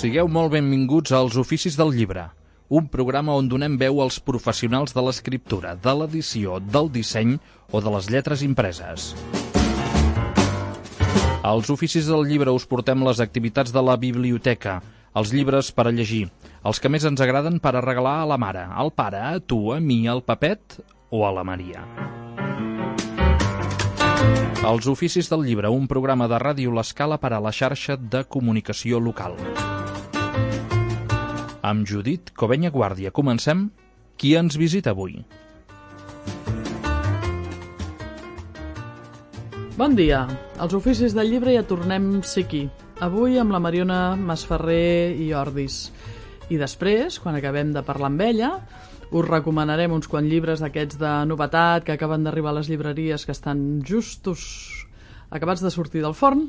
Sigueu molt benvinguts als Oficis del Llibre, un programa on donem veu als professionals de l'escriptura, de l'edició, del disseny o de les lletres impreses. Als Oficis del Llibre us portem les activitats de la biblioteca, els llibres per a llegir, els que més ens agraden per a regalar a la mare, al pare, a tu, a mi, al Pepet o a la Maria. Els Oficis del Llibre, un programa de Ràdio L'Escala per a la xarxa de comunicació local. Amb Judit Covenya Guàrdia comencem. Qui ens visita avui? Bon dia. Als Oficis del Llibre ja tornem a ser aquí. Avui amb la Mariona Masferrer i Ordis. I després, quan acabem de parlar amb ella, us recomanarem uns quants llibres d'aquests de novetat que acaben d'arribar a les llibreries, que estan justos acabats de sortir del forn.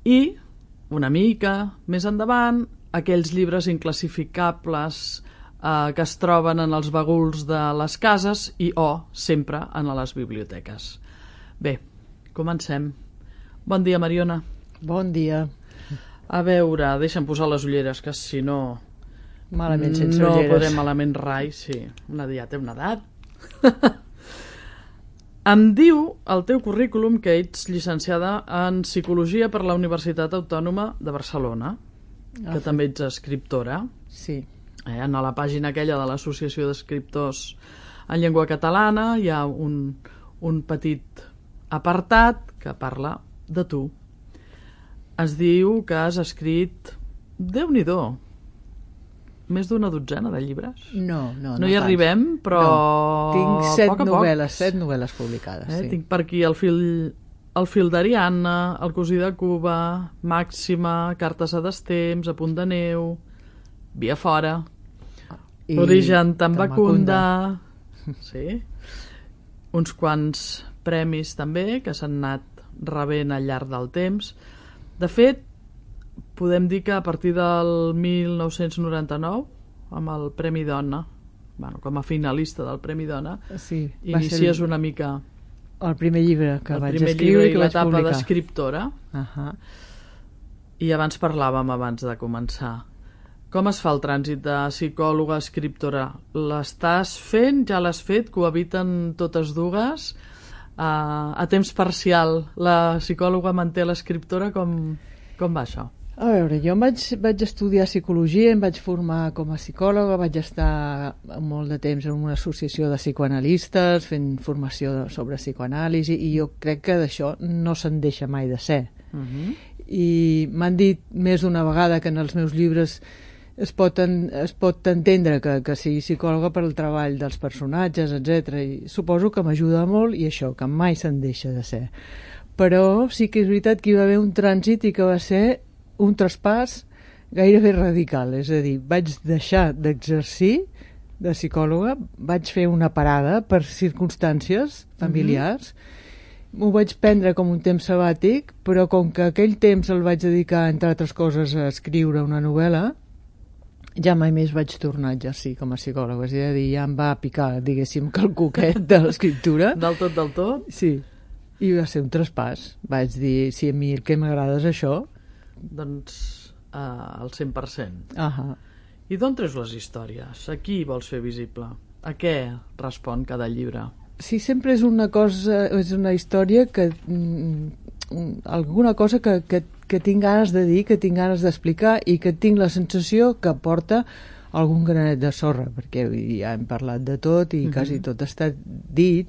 I, una mica més endavant, aquells llibres inclassificables que es troben en els baguls de les cases i sempre en les biblioteques. Bé, comencem. Bon dia, Mariona. Bon dia. A veure, deixa'm posar les ulleres, que si no... Malament sense no ulleres. No podem malament rai, sí. Ja té una edat. Em diu el teu currículum que ets llicenciada en Psicologia per la Universitat Autònoma de Barcelona, que també ets escriptora. Sí. En la pàgina aquella de l'Associació d'Escriptors en Llengua Catalana hi ha un petit apartat que parla de tu. Es diu que has escrit, Déu-n'hi-do, més d'una dotzena de llibres. No hi arribem, però... No. Tinc 7 novel·les, poc. 7 novel·les publicades, sí. Tinc per aquí el fil d'Ariadna, El cosí de Cuba, Màxima, Cartes a destemps, A punt de neu, Via fora, Origen Tambacunda... Sí. Uns quants premis també que s'han anat rebent al llarg del temps. De fet, podem dir que a partir del 1999, amb el Premi Dona, com a finalista del Premi Dona, sí, inicies una mica... El primer llibre que vaig escriure i que vaig publicar. publicar. I l'etapa d'escriptora. Uh-huh. I abans parlàvem, abans de començar. Com es fa el trànsit de psicòloga a escriptora? L'estàs fent? Ja l'has fet? Cohabiten totes dues? A temps parcial, la psicòloga manté l'escriptora? Com va això? A veure, jo vaig estudiar psicologia, em vaig formar com a psicòloga, vaig estar molt de temps en una associació de psicoanalistes fent formació sobre psicoanàlisi i jo crec que d'això no se'n deixa mai de ser. Uh-huh. I m'han dit més d'una vegada que en els meus llibres es pot entendre que sigui psicòloga per al treball dels personatges, etc. I suposo que m'ajuda molt i això, que mai se'n deixa de ser. Però sí que és veritat que hi va haver un trànsit i que va ser un traspàs gairebé radical, és a dir, vaig deixar d'exercir de psicòloga, vaig fer una parada per circumstàncies familiars, m'ho vaig prendre com un temps sabàtic, però com que aquell temps el vaig dedicar, entre altres coses, a escriure una novel·la, ja mai més vaig tornar a exercir com a psicòloga, és a dir, ja em va picar, diguéssim, que el coquet de l'escriptura. Del tot? Sí, i va ser un traspàs. Vaig dir, si a mi el que m'agrada és això, doncs al 100%. Uh-huh. I d'on treus les històries? A qui vols fer visible? A què respon cada llibre? Sí, sempre és una cosa, és una història que alguna cosa que tinc ganes de dir, que tinc ganes d'explicar i que tinc la sensació que porta algun granet de sorra, perquè ja hem parlat de tot i quasi tot està dit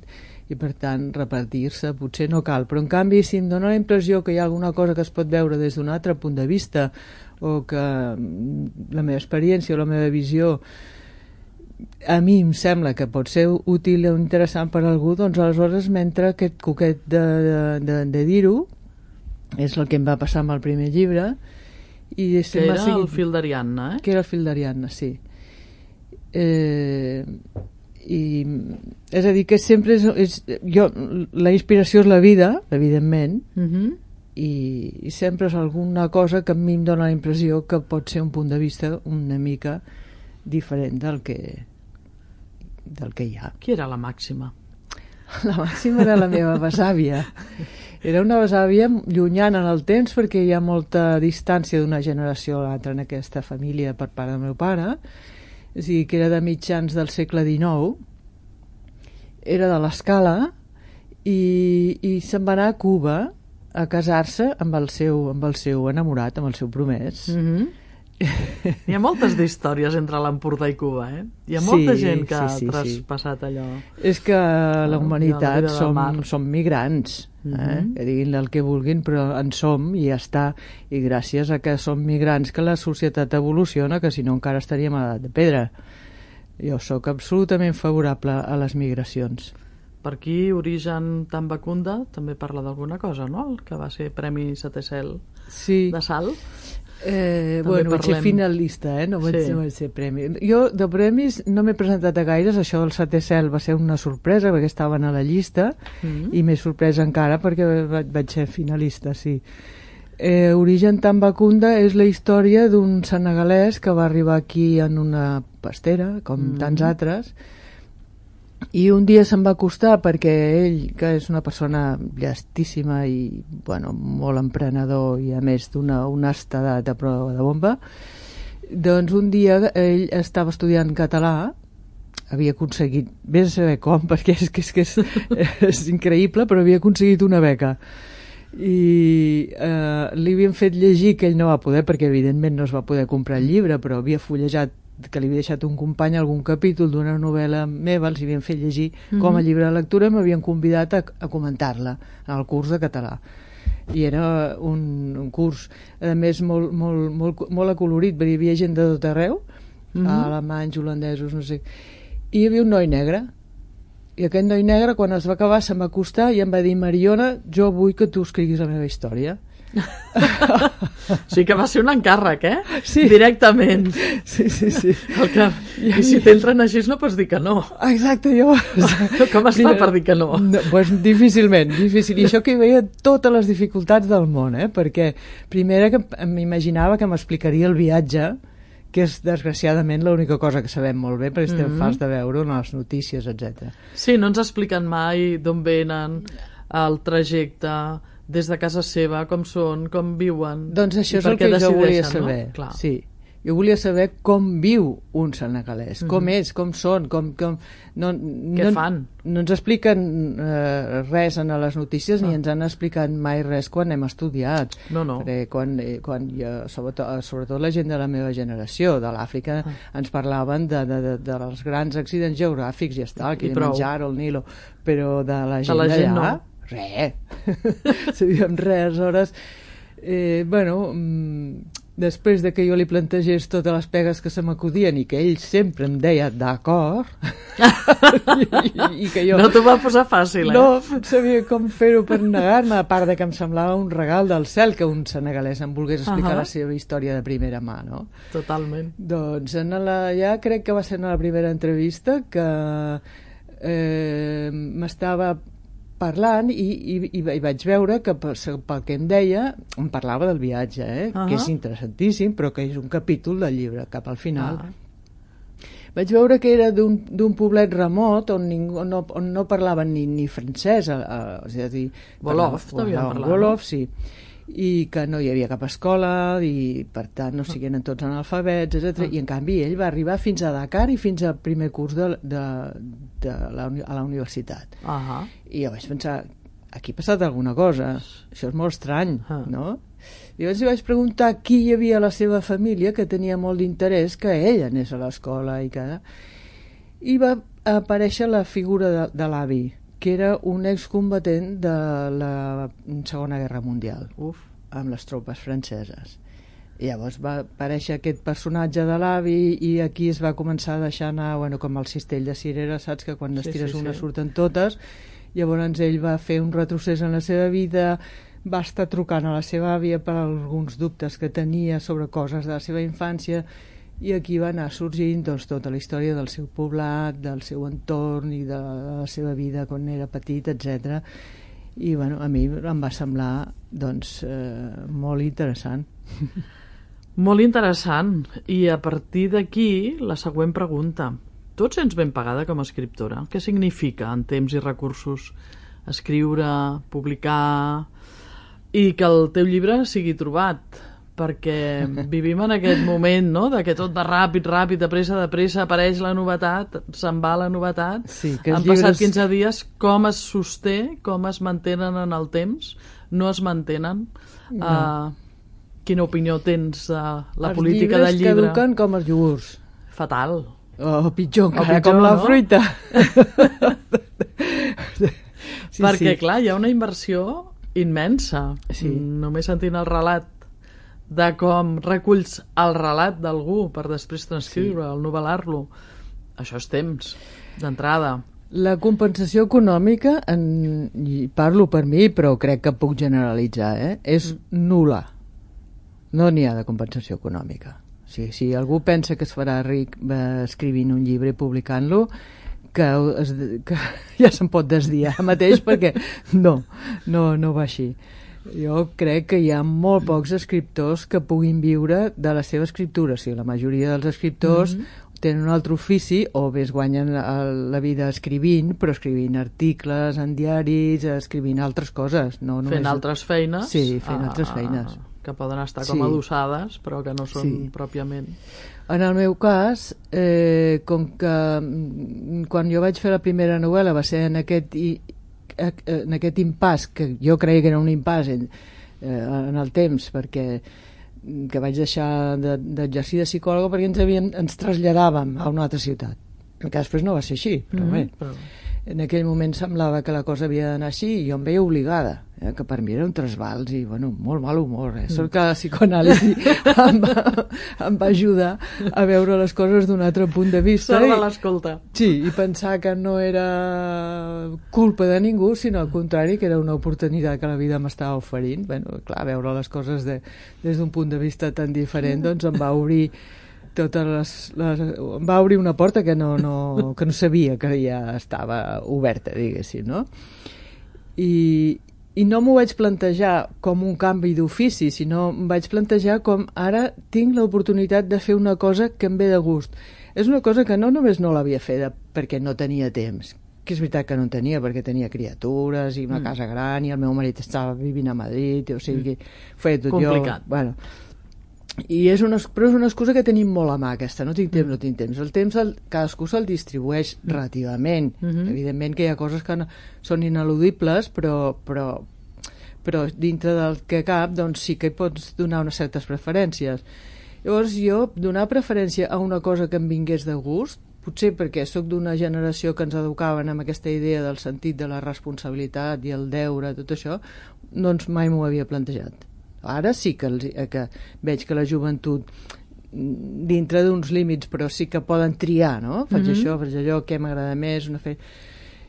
i per tant repetir-se potser no cal, però en canvi si em dóna la impressió que hi ha alguna cosa que es pot veure des d'un altre punt de vista o que la meva experiència o la meva visió a mi em sembla que pot ser útil o interessant per a algú, doncs aleshores mentre aquest coquet de dir-ho és el que em va passar amb el primer llibre i que era el fil d'Ariadna, que era el fil d'Ariadna, sí. I és a dir que sempre la inspiració és la vida, evidentment, i sempre és alguna cosa que a mi em dóna la impressió que pot ser un punt de vista una mica diferent del que hi ha. Qui era la Màxima? La Màxima era la meva besàvia. Era una besàvia llunyana en el temps perquè hi ha molta distància d'una generació a l'altra en aquesta família per part del meu pare, és a dir, que era de mitjans del segle XIX, era de l'Escala i se'n va anar a Cuba a casar-se amb el seu enamorat, amb el seu promès. Hi ha moltes d'històries entre l'Empordà i Cuba, eh? Hi ha molta gent que ha traspassat allò. És que la humanitat som migrants, que diguin el que vulguin, però en som i ja està. I gràcies a que som migrants que la societat evoluciona, que si no encara estaríem a l'edat de pedra. Jo sóc absolutament favorable a les migracions. Per aquí, Origen Tambacunda també parla d'alguna cosa, no? El que va ser Premi Setè Cel de Salt. Bueno, vaig ser finalista, no vaig ser premi. Jo de premis no m'he presentat a gaires. Això del Setè Cel va ser una sorpresa perquè estaven a la llista i més sorpresa encara perquè vaig ser finalista, sí. Origen Tambacunda és la història d'un senegalès que va arribar aquí en una pastera, com tants altres, i un dia se'n va acostar perquè ell, que és una persona llestíssima i molt emprenedor i a més d'una honestedat a prova de bomba, doncs un dia ell estava estudiant català, havia aconseguit, vés a saber com, perquè és increïble, però havia aconseguit una beca i li havien fet llegir, que ell no va poder perquè evidentment no es va poder comprar el llibre, però havia fullejat, que li havia deixat un company algun capítol d'una novel·la meva, els havien fet llegir com a llibre de lectura i m'havien convidat a comentar-la en el curs de català. I era un curs, a més, molt acolorit, perquè hi havia gent de tot arreu, alemanys, holandesos, no sé. I hi havia un noi negre, i aquest noi negre, quan es va acabar, se'm va acostar i em va dir: Mariona, jo vull que tu escriguis la meva història. Sí que va ser un encàrrec, Sí. Directament. Sí. I si t'entren així no pots dir que no. Exacte, jo... Com es fa per dir que no? Pues difícilment, difícil. I això que hi veia totes les dificultats del món, perquè primera que m'imaginava que m'explicaria el viatge, que és desgraciadament l'única cosa que sabem molt bé perquè estem farts de veure en les notícies, etc. Sí, no ens expliquen mai d'on venen, el trajecte, des de casa seva, com són, com viuen. Doncs això és el que jo volia saber. No? Sí. Jo volia saber com viu un senegalès, com és, com són, què fan. No ens expliquen res en les notícies ni ens han explicat mai res quan hem estudiat. No. Perquè quan jo, sobretot la gent de la meva generació, de l'Àfrica, ens parlaven dels grans accidents geogràfics i està, el Kilimanjaro, el Nilo, però de la gent d'allà... No. Res. Sabíem res, aleshores... després de que jo li plantegés totes les pegues que se m'acudien i que ell sempre em deia d'acord i que jo... No t'ho va posar fàcil, No sabia com fer-ho per negar-me, a part de que em semblava un regal del cel que un senegalès em volgués explicar la seva història de primera mà, no? Totalment. Doncs ja crec que va ser en la primera entrevista que m'estava parlant i vaig veure que pel que em deia em parlava del viatge, que és interessantíssim, però que és un capítol del llibre cap al final. Vaig veure que era d'un poblet remot on no parlaven ni francès, és a dir, Wolof, devien parlar. Wolof, sí, i que no hi havia cap escola i per tant no siguin tots analfabets, etc. I en canvi ell va arribar fins a Dakar i fins al primer curs a la universitat. I jo vaig pensar, aquí ha passat alguna cosa, això és molt estrany, no? I llavors li vaig preguntar qui hi havia a la seva família que tenia molt d'interès que ell anés a l'escola i va aparèixer la figura de l'avi, que era un excombatent de la Segona Guerra Mundial, amb les tropes franceses. I llavors va aparèixer aquest personatge de l'avi i aquí es va començar a deixar anar, com el cistell de cirera, saps que quan estires una surten totes. Llavors ell va fer un retrocés en la seva vida, va estar trucant a la seva àvia per alguns dubtes que tenia sobre coses de la seva infància, i aquí va anar sorgint tota la història del seu poblat, del seu entorn i de la seva vida quan era petit, etc. I a mi em va semblar molt interessant. Molt interessant. I a partir d'aquí la següent pregunta: tu et sents ben pagada com a escriptora? Què significa en temps i recursos escriure, publicar, i que el teu llibre sigui trobat, perquè vivim en aquest moment, no?, de que tot va ràpid, de pressa, apareix la novetat, se'n va la novetat. Sí, que han passat 15 dies, com es sosté, com es mantenen en el temps? No es mantenen. No. Quina opinió tens de la política del llibre? Els llibres caduquen com els iogurts. Fatal. O pitjor encara, pitjor, com la no? fruita. Sí, perquè, clar, hi ha una inversió immensa. Sí. Només sentint el relat de com reculls el relat d'algú per després transcriure-el, novel·lar-lo. Això és temps, d'entrada. La compensació econòmica, i parlo per mi, però crec que puc generalitzar, és nul·la. No n'hi ha de compensació econòmica. Si algú pensa que es farà ric escrivint un llibre i publicant-lo, que ja se'n pot desdir ara mateix, perquè no va així. Jo crec que hi ha molt pocs escriptors que puguin viure de la seva escriptura. O sigui, la majoria dels escriptors tenen un altre ofici, o bé es guanyen la vida escrivint, però escrivint articles en diaris, escrivint altres coses. No només... Fent altres feines. Sí, fent altres feines. Que poden estar com adossades, però que no són pròpiament. En el meu cas, com que quan jo vaig fer la primera novel·la va ser en aquest impàs, que jo creia que era un impàs en el temps, perquè que vaig deixar d'exercir de psicòloga perquè ens traslladàvem a una altra ciutat. Que després no va ser així, però bé. En aquell moment semblava que la cosa havia d'anar així i jo em veia obligada, que per mi era un trasbals i, bueno, molt mal humor. Sort que la psicoanàlisi em va ajudar a veure les coses d'un altre punt de vista. Sort de l'escolta. Sí, i pensar que no era culpa de ningú, sinó al contrari, que era una oportunitat que la vida m'estava oferint. Bueno, clar, veure les coses des d'un punt de vista tan diferent, doncs em va obrir em va obrir una porta que no sabia que ja estava oberta, diguéssim, no? I no m'ho vaig plantejar com un canvi d'ofici, sinó em vaig plantejar com ara tinc l'oportunitat de fer una cosa que em ve de gust. És una cosa que no només no l'havia fet perquè no tenia temps, que és veritat que no en tenia perquè tenia criatures i una casa gran i el meu marit estava vivint a Madrid, o sigui, feia tot complicat. Jo... Bueno, però és una excusa que tenim molt a mà, aquesta. No tinc temps. El temps cadascú se'l distribueix relativament. Evidentment que hi ha coses que són ineludibles, però dintre del que cap, doncs sí que hi pots donar unes certes preferències. Llavors jo donar preferència a una cosa que em vingués de gust, potser perquè sóc d'una generació que ens educaven amb aquesta idea del sentit de la responsabilitat i el deure, tot això, doncs mai m'ho havia plantejat. Ara sí que veig que la joventut, dintre d'uns límits, però sí que poden triar, no? Faig això, faig allò, què m'agrada més,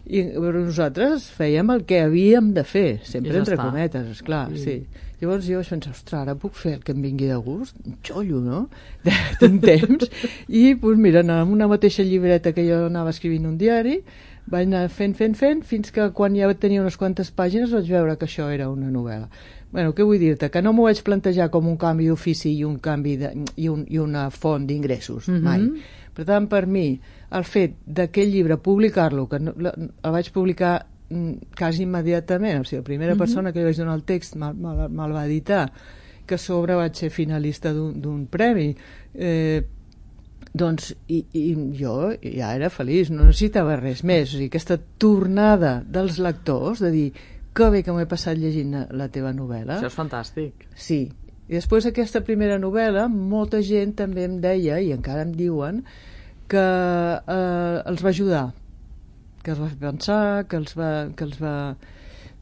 i nosaltres fèiem el que havíem de fer, sempre entre cometes, esclar, sí. Llavors jo vaig pensar, ostres, ara puc fer el que em vingui de gust? Un xollo, no? Tinc temps. I, doncs mira, amb una mateixa llibreta que jo anava escrivint un diari, vaig anar fent, fins que quan ja tenia unes quantes pàgines vaig veure que això era una novel·la. Bueno, què vull dir-te? Que no m'ho vaig plantejar com un canvi d'ofici i una font d'ingressos, mai. Per tant, per mi, el fet d'aquell llibre publicar-lo, que el vaig publicar quasi immediatament, o sigui, la primera persona que li vaig donar el text me'l va editar, que a sobre vaig ser finalista d'un premi, doncs i jo ja era feliç, no necessitava res més. O sigui, aquesta tornada dels lectors de dir que bé que m'he passat llegint la teva novel·la. Això és fantàstic. Sí. I després d'aquesta primera novel·la, molta gent també em deia, i encara em diuen, que els va ajudar, que els va fer pensar, que els va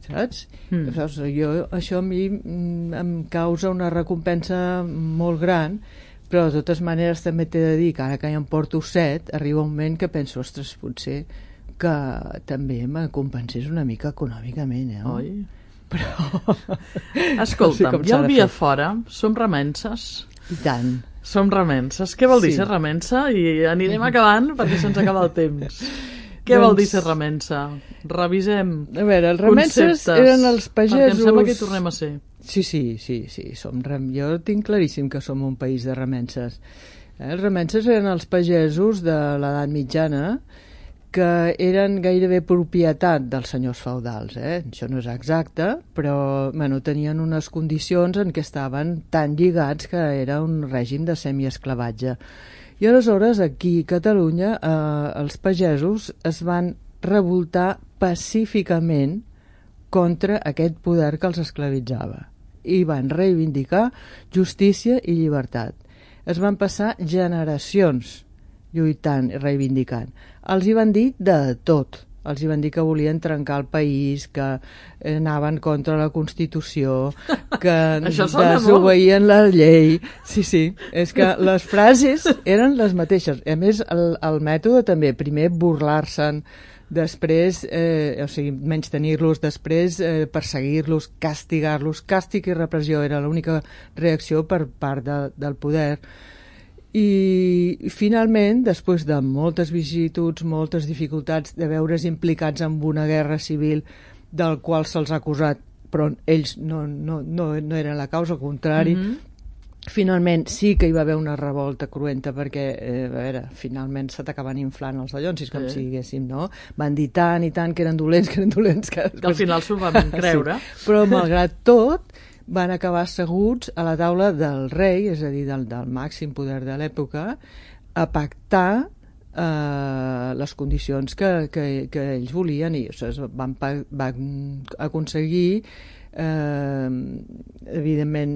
saps? Això a mi em causa una recompensa molt gran, però de totes maneres també t'he de dir que ara que ja en porto 7, arriba un moment que penso, ostres, potser que també me compensés una mica econòmicament, Oi? Però... Escolta'm, ja el dia fora som remenses. I tant. Som remenses. Què vol dir ser remensa? I anirem acabant perquè se'ns acaba el temps. Què vol dir ser remensa? Revisem conceptes. A veure, els remenses eren els pagesos... Perquè em sembla que hi tornem a ser. Sí. Jo tinc claríssim que som un país de remenses. Els remenses eren els pagesos de l'edat mitjana que eren gairebé propietat dels senyors feudals. Això no és exacte, però tenien unes condicions en què estaven tan lligats que era un règim de semiesclavatge. I aleshores aquí a Catalunya els pagesos es van revoltar pacíficament contra aquest poder que els esclavitzava i van reivindicar justícia i llibertat. Es van passar generacions lluitant i reivindicant. Els hi van dir de tot. Els hi van dir que volien trencar el país, que anaven contra la Constitució, que desobeïen la llei. Sí, és que les frases eren les mateixes. A més, el mètode també, primer burlar-se'n, després, menystenir-los, després perseguir-los, castigar-los. Càstig i repressió era l'única reacció per part del poder. I finalment, després de moltes vicissituds, moltes dificultats de veure's implicats en una guerra civil del qual se'ls ha acusat, però ells no eren la causa, al contrari, finalment sí que hi va haver una revolta cruenta perquè, finalment se t'acaben inflant els dallonsis, com si diguéssim, no? Van dir tant i tant que eren dolents, que al final s'ho van creure. Sí. Però malgrat tot, van acabar asseguts a la taula del rei, és a dir, del màxim poder de l'època, a pactar les condicions que ells volien, i van aconseguir evidentment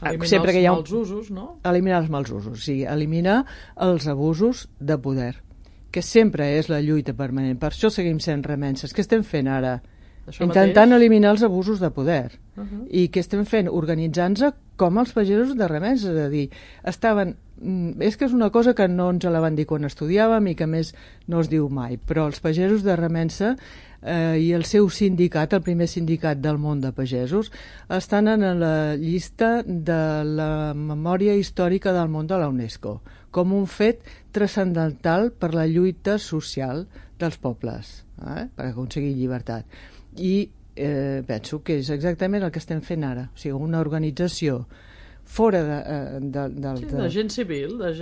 eliminar els mals usos, no? Eliminar els mals usos, sí, eliminar els abusos de poder, que sempre és la lluita permanent. Per això seguim sent remenses. Què estem fent ara? Intentant eliminar els abusos de poder. I què estem fent? Organitzant-se com els pagesos de Remença, és a dir, és que és una cosa que no ens la van dir quan estudiàvem i que més no es diu mai, però els pagesos de Remença i el seu sindicat, el primer sindicat del món de pagesos, estan en la llista de la memòria històrica del món de la UNESCO, com un fet transcendental per la lluita social dels pobles, per aconseguir llibertat. I penso que és exactament el que estem fent ara, o sigui, una organització fora de gent civil, de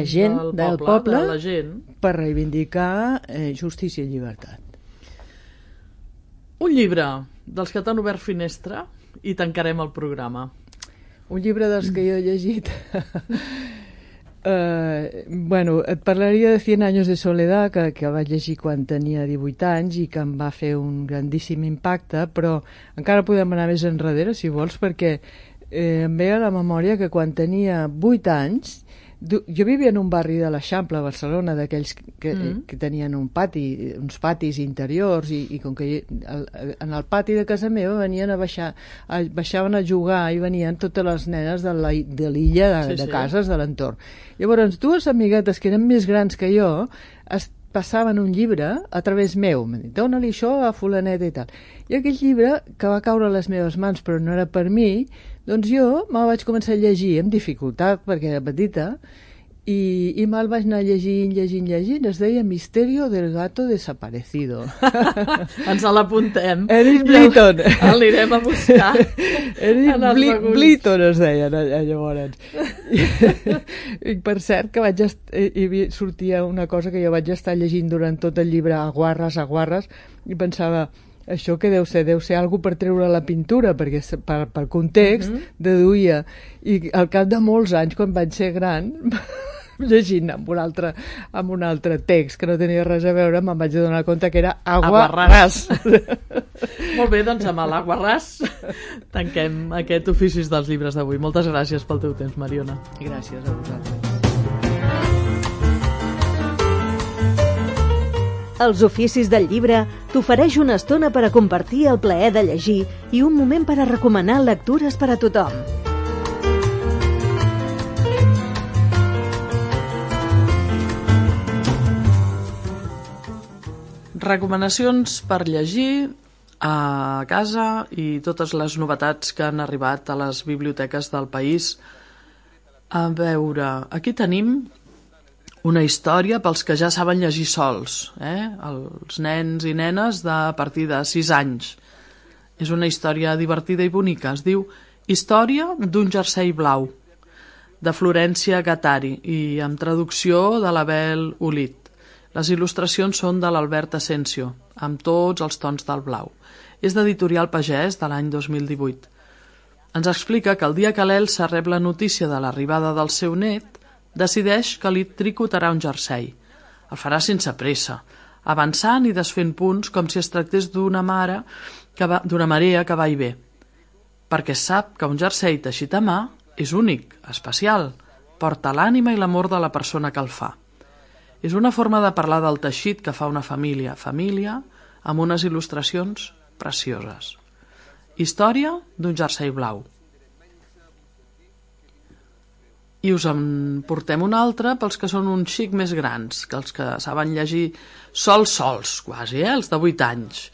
gent del poble, de la gent, per reivindicar justícia i llibertat. Un llibre dels que t'han obert finestra i tancarem el programa. Un llibre dels que jo he llegit... et parlaria de 100 años de soledad, que vaig llegir quan tenia 18 anys i que em va fer un grandíssim impacte, però encara podem anar més enrere, si vols, perquè em ve a la memòria que quan tenia 8 anys, jo vivia en un barri de l'Eixample, a Barcelona, d'aquells que tenien uns patis interiors, i com que en el pati de casa meva baixaven a jugar i venien totes les nenes de l'illa de cases de l'entorn. Llavors, dues amiguetes que eren més grans que jo passaven un llibre a través meu, m'han dit, dona-li això a fulaneta i tal. I aquell llibre, que va caure a les meves mans però no era per mi, doncs jo me'l vaig començar a llegir amb dificultat perquè era petita i me'l vaig anar llegint. Es deia Misterio del gato desaparecido. Ens l'apuntem. Eric Blyton. L'anirem a buscar. Eric Blyton es deia llavors. I per cert que sortia una cosa que jo vaig estar llegint durant tot el llibre a guarres, i pensava, això que deu ser algú per treure la pintura, perquè per context deduïa. I al cap de molts anys, quan vaig ser gran, llegint amb un altre text que no tenia res a veure, me'n vaig donar compte que era Aguarràs. Molt bé, doncs amb l'Aguarràs tanquem aquest Oficis dels llibres d'avui. Moltes gràcies pel teu temps, Mariona. Gràcies a vosaltres. Els Oficis del llibre t'ofereix una estona per a compartir el plaer de llegir i un moment per a recomanar lectures per a tothom. Recomanacions per llegir a casa i totes les novetats que han arribat a les biblioteques del país. A veure, aquí tenim una història pels que ja saben llegir sols, els nens i nenes a partir de 6 anys. És una història divertida i bonica. Es diu Història d'un jersei blau, de Florència Gattari, i amb traducció de l'Abel Olit. Les il·lustracions són de l'Albert Asensio, amb tots els tons del blau. És d'Editorial Pagès de l'any 2018. Ens explica que el dia que l'Elsa rep la notícia de l'arribada del seu net, decideix que li tricotarà un jersei. El farà sense pressa, avançant i desfent punts com si es tractés d'una marea que va i ve, perquè sap que un jersei teixit a mà és únic, especial, porta l'ànima i l'amor de la persona que el fa. És una forma de parlar del teixit que fa una família, amb unes il·lustracions precioses. Història d'un jersei blau. I us en portem un altre pels que són un xic més grans, que els que saben llegir sols, quasi, els de 8 anys.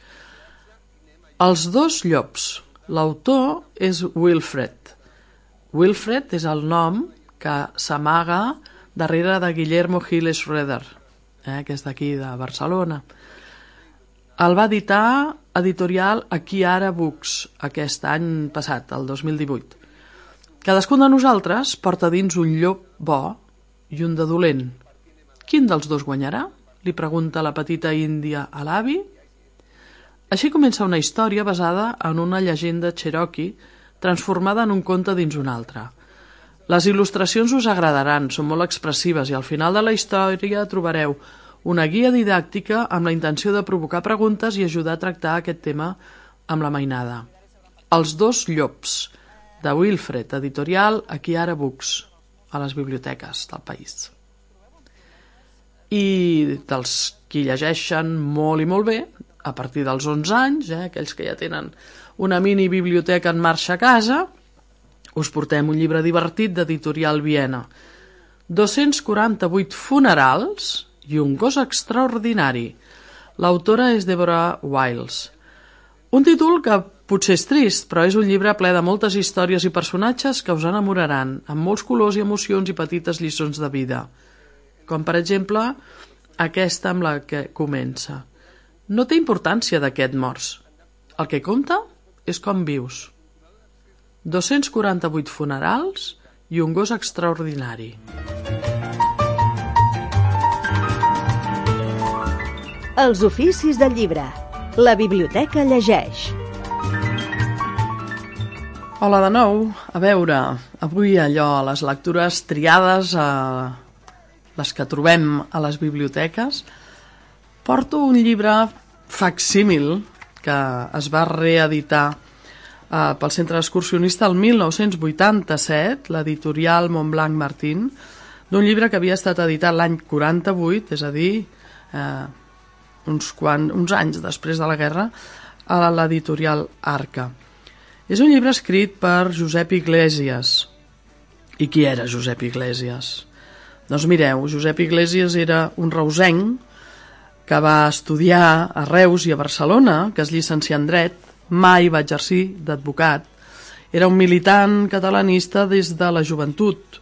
Els dos llops. L'autor és Wilfred. Wilfred és el nom que s'amaga darrere de Guillermo Gil Schroeder, que és d'aquí, de Barcelona. El va editar Editorial Aquí Ara Books aquest any passat, el 2018. Cadascun de nosaltres porta dins un llop bo i un de dolent. Quin dels dos guanyarà? Li pregunta la petita índia a l'avi. Així comença una història basada en una llegenda cherokee transformada en un conte dins un altre. Les il·lustracions us agradaran, són molt expressives i al final de la història trobareu una guia didàctica amb la intenció de provocar preguntes i ajudar a tractar aquest tema amb la mainada. Els dos llops, de Wilfred, editorial Aquí Ara Books, a les biblioteques del país. I dels qui llegeixen molt i molt bé, a partir dels 11 anys, aquells que ja tenen una mini biblioteca en marxa a casa, us portem un llibre divertit d'Editorial Viena. 248 funerals i un gos extraordinari. L'autora és Deborah Wiles. Un títol que potser és trist, però és un llibre ple de moltes històries i personatges que us enamoraran, amb molts colors i emocions i petites lliçons de vida. Com, per exemple, aquesta amb la que comença. No té importància de què et mors. El que compta és com vius. 248 funerals i un gos extraordinari. Els oficis del llibre. La biblioteca llegeix. Hola de nou. A veure, avui allò, les lectures triades, les que trobem a les biblioteques, porto un llibre facsímil que es va reeditar pel Centre Excursionista el 1987, l'editorial Montblanc Martín, d'un llibre que havia estat editat l'any 48, és a dir, uns anys després de la guerra, a l'editorial Arca. És un llibre escrit per Josep Iglesias. I qui era Josep Iglesias? Doncs mireu, Josep Iglesias era un reusenc que va estudiar a Reus i a Barcelona, que es llicencià en dret, mai va exercir d'advocat. Era un militant catalanista des de la joventut,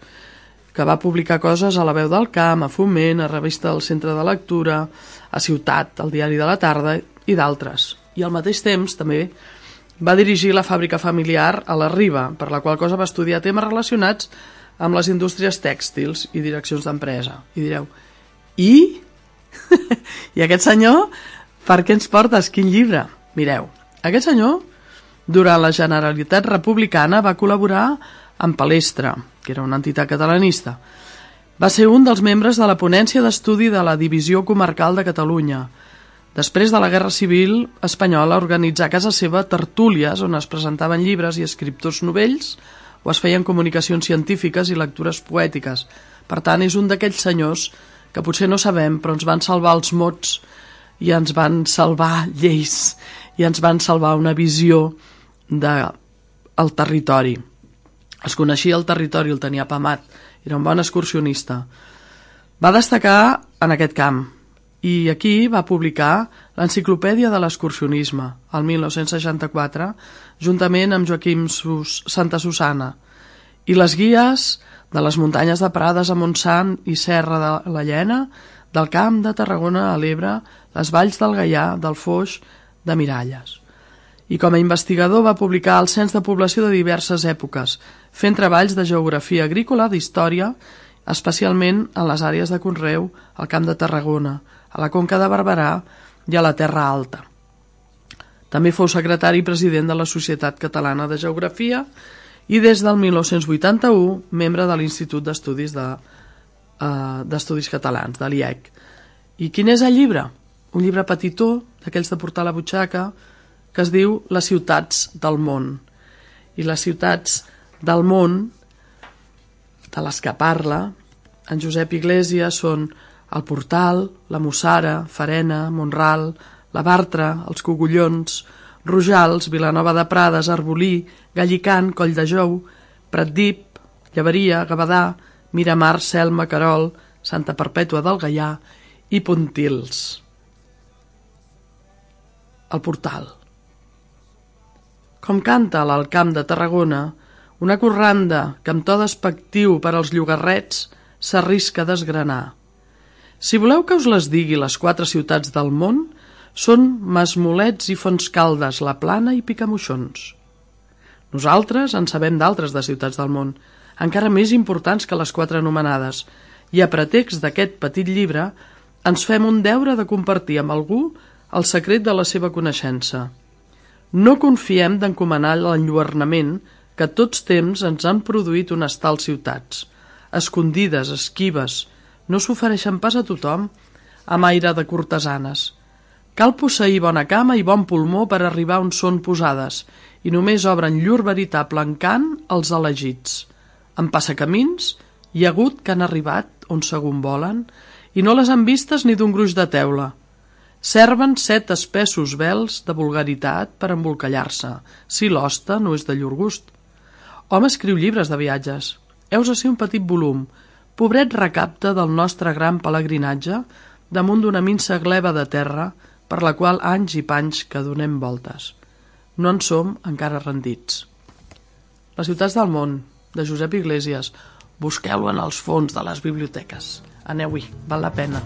que va publicar coses a La Veu del Camp, a Foment, a Revista del Centre de Lectura, a Ciutat, al Diari de la Tarda i d'altres. I al mateix temps també va dirigir la fàbrica familiar a la Riba, per la qual cosa va estudiar temes relacionats amb les indústries tèxtils i direccions d'empresa. I direu, i? I aquest senyor, per què ens portes? Quin llibre? Mireu, aquest senyor, durant la Generalitat Republicana, va col·laborar amb Palestra, que era una entitat catalanista. Va ser un dels membres de la ponència d'estudi de la Divisió Comarcal de Catalunya. Després de la Guerra Civil Espanyola organitzà a casa seva tertúlies on es presentaven llibres i escriptors novells o es feien comunicacions científiques i lectures poètiques. Per tant, és un d'aquells senyors que potser no sabem, però ens van salvar els mots i ens van salvar lleis i ens van salvar una visió del territori. Es coneixia el territori, el tenia apamat, era un bon excursionista. Va destacar en aquest camp i aquí va publicar l'Enciclopèdia de l'Excursionisme, el 1964, juntament amb Joaquim Santa Susana, i les guies de les muntanyes de Prades a Montsant i Serra de la Llena, del Camp de Tarragona a l'Ebre, les valls del Gaià, del Foix, de Miralles. I com a investigador va publicar el cens de població de diverses èpoques, fent treballs de geografia agrícola, d'història, especialment en les àrees de conreu, al Camp de Tarragona, a la Conca de Barberà i a la Terra Alta. També fou secretari i president de la Societat Catalana de Geografia i des del 1981 membre de l'Institut d'Estudis Catalans, de l'IEC. I quin és el llibre? Un llibre petitó, d'aquells de portar a la butxaca, que es diu Les ciutats del món. I les ciutats del món, de les que parla en Josep Iglesias, són el Portal, la Mussara, Farena, Mont-ral, la Bartra, els Cogullons, Rojals, Vilanova de Prades, Arbolí, Gallicant, Colldejou, Pratdip, Llevaria, Gavadà, Miramar, Selma, Querol, Santa Perpètua del Gaià i Pontils. El Portal. Com canta a l'Alt Camp de Tarragona, una corranda que amb to despectiu per als llogarrets s'arrisca a desgranar. Si voleu que us les digui les 4 ciutats del món, són Masmolets i Fontscaldes, La Plana i Picamoixons. Nosaltres en sabem d'altres de ciutats del món, encara més importants que les 4 anomenades, i a pretext d'aquest petit llibre ens fem un deure de compartir amb algú el secret de la seva coneixença. No confiem d'encomanar l'enlluernament que a tots temps ens han produït unes tals ciutats, escondides, esquives, no s'ofereixen pas a tothom amb aire de cortesanes. Cal posseir bona cama i bon pulmó per arribar on són posades, i només obren llur veritable encant els elegits. En passacamins hi ha hagut que han arribat on segon volen i no les han vistes ni d'un gruix de teula. Serven 7 espessos vels de vulgaritat per embolcallar-se, si l'hoste no és de llur gust. Hom escriu llibres de viatges. Heus ací un petit volum, pobret recapte del nostre gran pelegrinatge damunt d'una minsa gleba de terra per la qual anys i panys que donem voltes. No en som encara rendits. Les ciutats del món, de Josep Iglesias. Busqueu-lo en els fons de les biblioteques. Aneu-hi, val la pena.